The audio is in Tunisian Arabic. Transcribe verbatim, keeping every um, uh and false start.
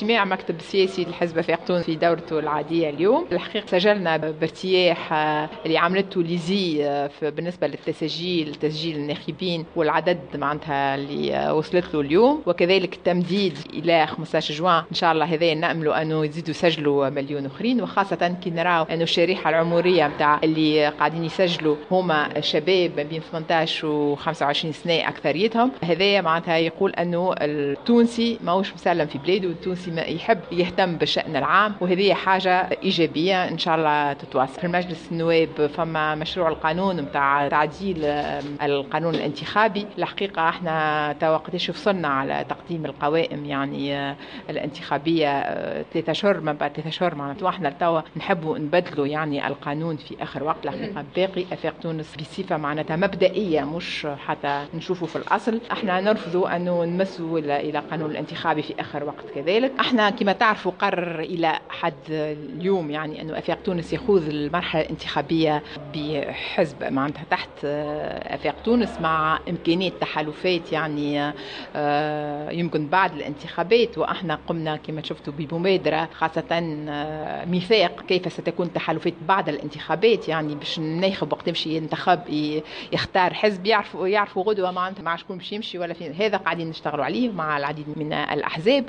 اجتماع مكتب السياسي لحزب افاق تونس في دورته العادية اليوم. الحقيقة سجلنا بارتياح اللي عملته l'ISIE بالنسبة للتسجيل، تسجيل الناخبين والعدد معناتها اللي وصلت له اليوم، وكذلك التمديد الى خمسطاش جوان ان شاء الله. هذا ناملوا انه يزيدوا يسجلوا مليون اخرين، وخاصة كي نراو انه الشريحة العمرية نتاع اللي قاعدين يسجلوا هما شباب ما بين ثمنطاش و خمسة وعشرين سنة اكثريتهم. هذا معناتها يقول انه التونسي ماهوش مسلم في بلاده، والتونسي ما يحب يهتم بالشأن العام، وهذه حاجة إيجابية إن شاء الله تتواصل. في المجلس النواب فما مشروع القانون نتاع تعديل القانون الانتخابي. الحقيقة احنا توا قداش وصلنا على تقديم القوائم يعني الانتخابية؟ ثلاثة أشهر، ما بعد ثلاثة أشهر معناتها، احنا توا نحبوا نبدلوا يعني القانون في آخر وقت. الحقيقة باقي أفاق تونس بصفة معناتها مبدئية، مش حتى نشوفوا في الأصل، احنا نرفضوا أنه نمسوا إلى القانون الانتخابي في آخر وقت. كذلك احنا كما تعرفوا قرر إلى حد اليوم يعني أنه أفاق تونس يخوض المرحلة الانتخابية بحزب معناتها تحت أفاق تونس، مع إمكانية تحالفات يعني آه، يمكن بعد الانتخابات. وإحنا قمنا كما شفتوا بمبادرة، خاصة آه، ميثاق كيف ستكون التحالفات بعد الانتخابات، يعني باش الناخب وقت يمشي ينتخب يختار حزب يعرفوا يعرفوا غدوة معناتها مع شكون باش يمشي ولا فين. هذا قاعدين نشتغلوا عليه مع العديد من الأحزاب.